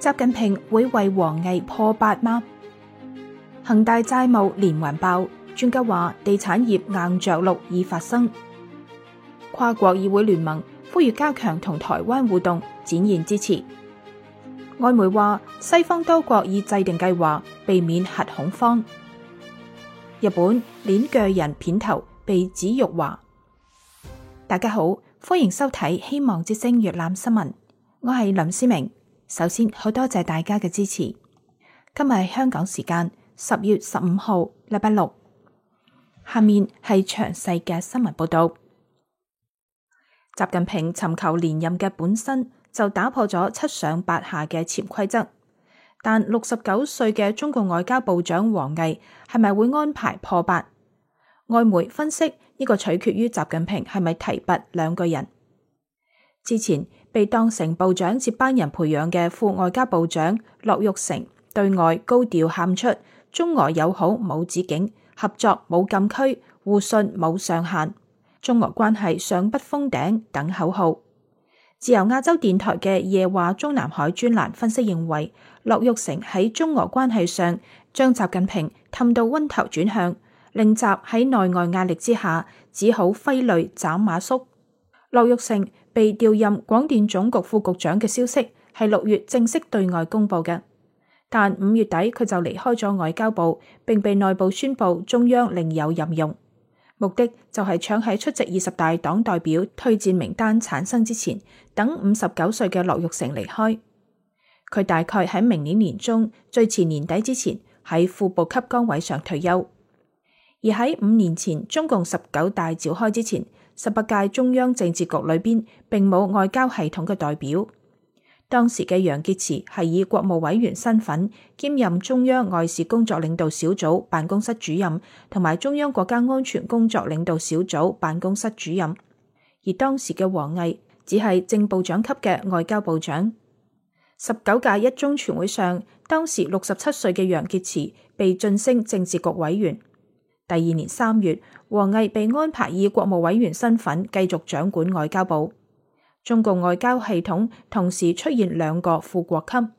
習近平會為王毅破8嗎？恒大債務連環爆，專家話地產業硬着陸已發生。跨國議會聯盟呼籲加強同台灣互動，展現支持。外媒話西方多國已制定計劃，避免核恐慌。日本鏈鋸人片頭被指辱華。大家好，歡迎收睇希望之聲粵覽新聞，我係林思明。首先好多謝大家嘅支持。今日係香港時間10月15號，禮拜六。下面係詳細嘅新聞報道。習近平尋求連任嘅本身就打破咗7上8下嘅潛規則，但69歲嘅中共外交部長王毅係咪會安排破8？外媒分析呢個取決於習近平係咪提拔2個人。之前被當成部長接班人培養嘅副外交部長樂玉成對外高調喊出中俄友好冇止境，合作冇禁區，互信冇上限，中俄關係上不封頂等口號。自由亞洲電台嘅夜話中南海專欄分析認為，樂玉成喺中俄關係上將習近平氹到暈頭轉向，令習喺內外壓力之下只好揮淚斬馬謖。樂玉成被調任廣電總局副局長嘅消息係6月正式對外公布嘅，但5月底佢就離開咗外交部，並被內部宣布中央另有任用，目的就係搶喺出席20大黨代表推薦名單產生之前，等59歲嘅樂玉成離開。佢大概喺明年年中，最遲年底之前喺副部級崗位上退休。而喺5年前中共19大召開之前，18屆中央政治局裏邊並冇外交系統嘅代表。當時嘅楊潔篪係以國務委員身份兼任中央外事工作領導小組辦公室主任同埋中央國家安全工作領導小組辦公室主任，而當時嘅王毅只係正部長級嘅外交部長。19屆一中全會上，當時67歲嘅楊潔篪被晉升政治局委員。第2年3月，王毅被安排以國務委員身份繼續掌管外交部。中共外交系統同時出現2個副國級。呢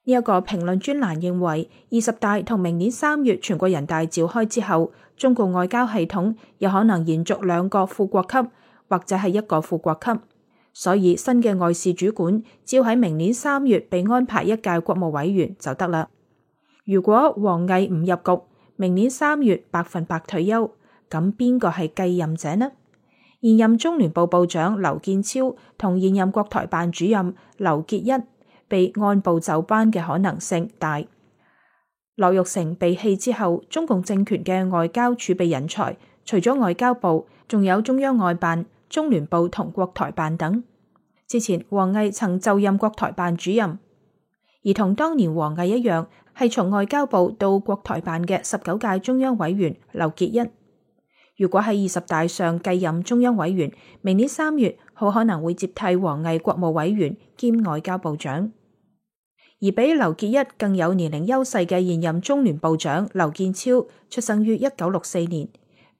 一個評論專欄認為，20大同明年3月全國人大召開之後，中共外交系統有可能延續2個副國級，或者係1個副國級。所以新嘅外事主管只要喺明年3月被安排1屆國務委員就得啦。如果王毅唔入局，明年3月100%退休，咁邊個係繼任者呢？現任中聯部部長劉建超同現任國台辦主任劉結一被按部就班嘅可能性大。樂玉成被棄之後，中共政權嘅外交儲備人才除咗外交部，仲有中央外辦、中聯部同國台辦等。之前王毅曾就任國台辦主任，而同當年王毅一樣，係從外交部到國台辦嘅19屆中央委員劉結一。如果喺20大上繼任中央委員，明年3月好可能會接替王毅國務委員兼外交部長。而比劉結一更有年齡優勢嘅現任中聯部長劉建超，出生於1964年，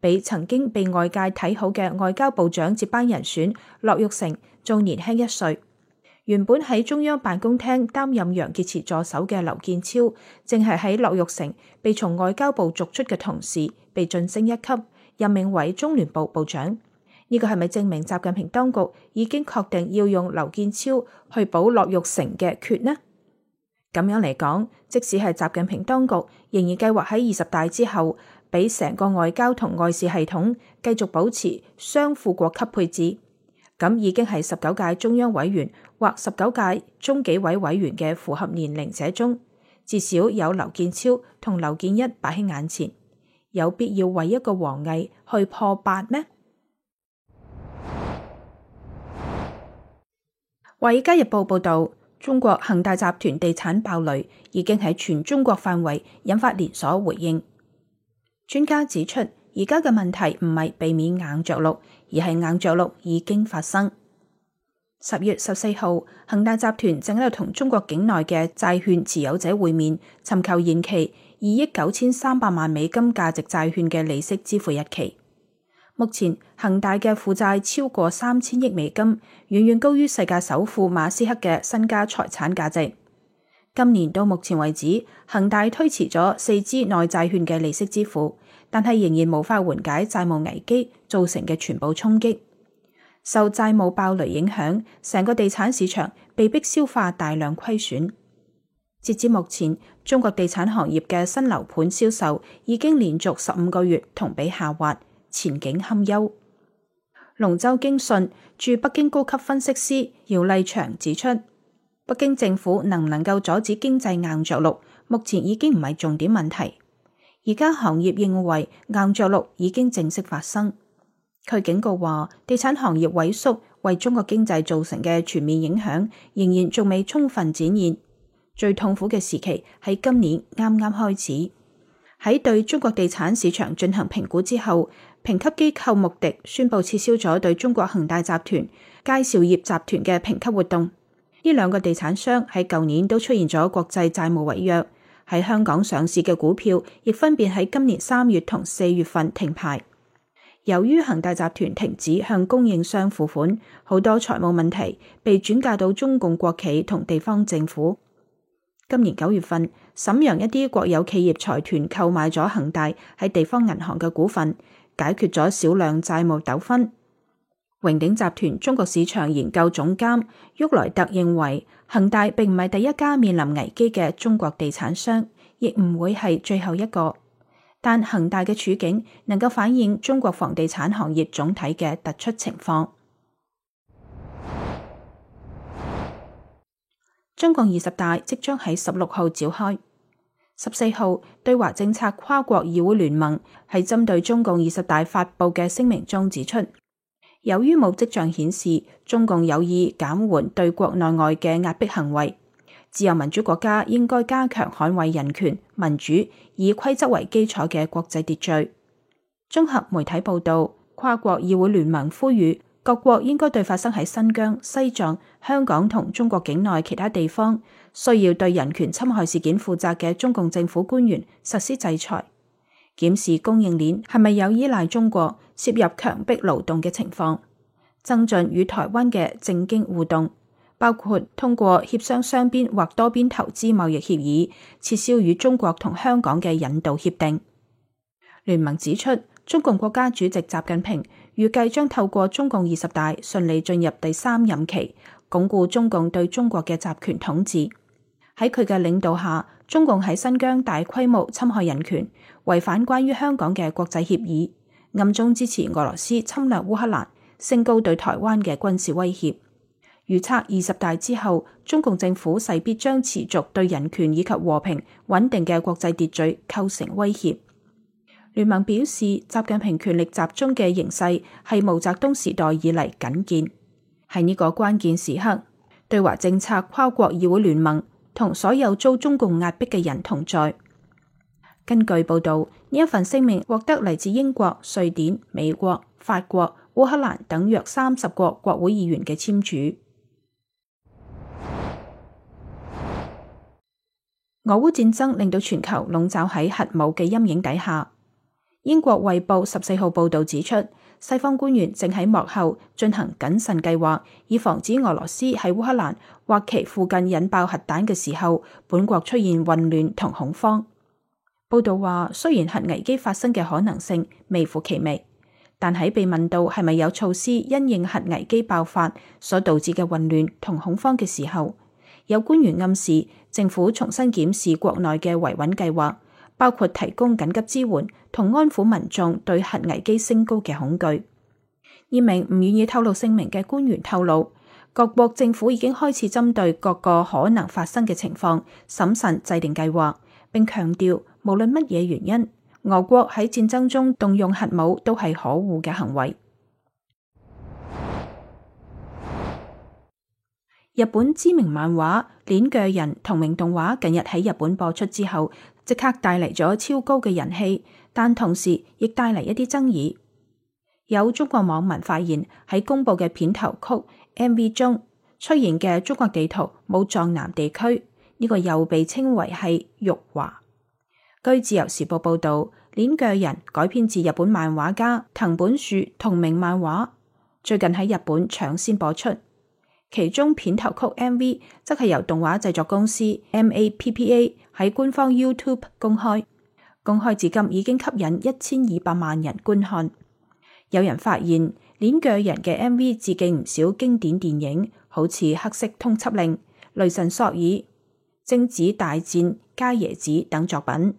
比曾經被外界睇好嘅外交部長接班人選樂玉成仲年輕1歲。原本喺中央辦公廳擔任楊潔篪助手嘅劉建超，正係喺樂玉成被從外交部逐出嘅同時，被晉升1級，任命為中聯部部長。呢個係咪證明習近平當局已經確定要用劉建超去補樂玉成嘅缺呢？咁樣嚟講，即使係習近平當局仍然計劃喺20大之後，俾成個外交同外事系統繼續保持雙副國級配置，咁已經係19屆中央委員或19屆中紀委委員嘅符合年齡者中，至少有劉建超同劉建一擺喺眼前。有必要為一個王毅去破8咩？華爾街日報報道，中國恒大集團地產爆雷已經喺全中國範圍引發連鎖回應。專家指出，而家嘅問題唔係避免硬着陸，而係硬着陸已經發生。10月14號，恒大集團正喺度同中國境內嘅債券持有者會面，尋求延期2億9300萬美金價值債券嘅利息支付日期。目前恒大嘅負債超過3000億美金，遠遠高於世界首富馬斯克嘅身家財產價值。今年到目前為止，恒大推遲咗4支內債券嘅利息支付，但係仍然無法緩解債務危機造成嘅全部衝擊。受債務爆雷影響，成個地產市場被迫消化大量虧損。截至目前，中國地產行業嘅新樓盤銷售已經連續15個月同比下滑，前景堪憂。龍州京信駐北京高級分析師姚麗祥指出，北京政府能唔能夠阻止經濟硬着陸，目前已經唔係重點問題。而家行業認為硬着陸已經正式發生。佢警告話，地產行業萎縮為中國經濟造成嘅全面影響仍然仲未充分展現，最痛苦嘅時期喺今年啱啱開始。喺對中國地產市場進行評估之後，評級機構穆迪宣布撤銷咗對中國恒大集團、佳兆業集團嘅評級活動。呢兩個地產商喺舊年都出現咗國際債務違約，喺香港上市嘅股票亦分別喺今年3月同4月份停牌。由於恒大集團停止向供應商付款，好多財務問題被轉嫁到中共國企同地方政府。今年9月份，瀋陽一啲國有企業財團購買咗恒大喺地方銀行嘅股份，解決咗少量債務糾紛。榮鼎集團中國市場研究總監沃萊特認為，恒大並唔係第一家面臨危機嘅中國地產商，亦唔會係最後一個。但恒大嘅處境能夠反映中國房地產行業總體嘅突出情況。中共20大即將喺16號召開。14號，對華政策跨國議會聯盟喺針對中共20大發佈嘅聲明中指出，由於冇跡象顯示中共有意減緩對國內外嘅壓迫行為，自由民主國家應該加強捍衛人權、民主、以規則為基礎嘅國際秩序。綜合媒體報道，跨國議會聯盟呼籲各國應該對發生喺新疆、西藏、香港同中國境內其他地方需要對人權侵害事件負責嘅中共政府官員實施制裁，檢視供應鏈係咪有依賴中國、涉入強迫勞動嘅情況，增進與台灣嘅政經互動，包括通過協商雙邊或多邊投資貿易協議，撤銷與中國同香港嘅引渡協定。聯盟指出，中共國家主席習近平預計將透過中共20大順利進入第3任期，鞏固中共對中國嘅集權統治。喺佢嘅領導下，中共喺新疆大規模侵害人權，違反關於香港嘅國際協議，暗中支持俄羅斯侵略烏克蘭，升高對台灣嘅軍事威脅。預測20大之後，中共政府勢必將持續對人權以及和平穩定嘅國際秩序構成威脅。聯盟表示，習近平權力集中嘅形勢係毛澤東時代以嚟僅見，喺呢個關鍵時刻，對華政策跨國議會聯盟同所有遭中共壓迫嘅人同在。根據報道，呢一份聲明獲得嚟自英國、瑞典、美國、法國、烏克蘭等約30個國會議員嘅簽署。俄烏戰爭令到全球籠罩喺核武嘅陰影底下。英國衛報14號報道指出，西方官員正喺幕後進行謹慎計劃，以防止俄羅斯喺烏克蘭或其附近引爆核彈嘅時候，本國出現混亂同恐慌。報道話，雖然核危機發生嘅可能性微乎其微，但喺被問到係咪有措施因應核危機爆發所導致嘅混亂同恐慌嘅時候，有官員暗示政府重新檢視國內嘅維穩計劃，包括提供緊急支援同安撫民眾對核危機升高嘅恐懼。一名唔願意透露姓名嘅官員透露，各國政府已經開始針對各個可能發生嘅情況審慎制定計劃，並強調無論乜嘢原因，俄國喺戰爭中動用核武都係可惡嘅行為。日本知名漫畫《鏈鋸人》同名動畫近日喺日本播出之後，即刻帶嚟咗超高嘅人氣，但同時亦帶嚟一啲爭議。有中國網民發現喺公佈嘅片頭曲 MV 中出現嘅中國地圖冇藏南地區，呢個又被稱為係辱華。據自由時報報道，《鏈鋸人》改編自日本漫畫家藤本樹同名漫畫，最近喺日本搶先播出。其中片頭曲 MV 則係由動畫製作公司 MAPPA 喺官方 YouTube 公開至今已經吸引1200萬人觀看。有人發現鏈鋸人嘅 MV 致敬唔少經典電影，好似黑色通緝令、雷神索爾、貞子大戰、伽椰子等作品。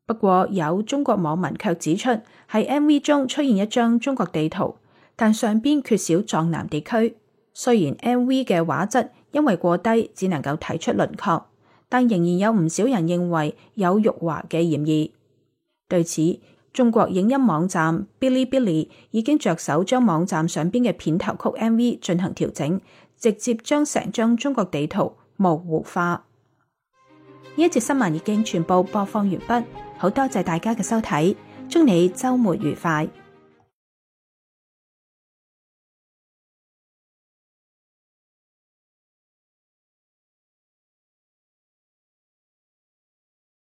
不過有中國網民卻指出，喺 MV 中出現一張中國地圖，但上邊缺少藏南地區。雖然 MV 嘅畫質因為過低，只能夠睇出輪廓，但仍然有唔少人認為有辱華嘅嫌疑。對此，中國影音網站 Bilibili 已經着手將網站上邊嘅片頭曲 MV 進行調整，直接將成張中國地圖模糊化。呢一節新聞已經全部播放完畢，好多謝大家嘅收睇，祝你週末愉快。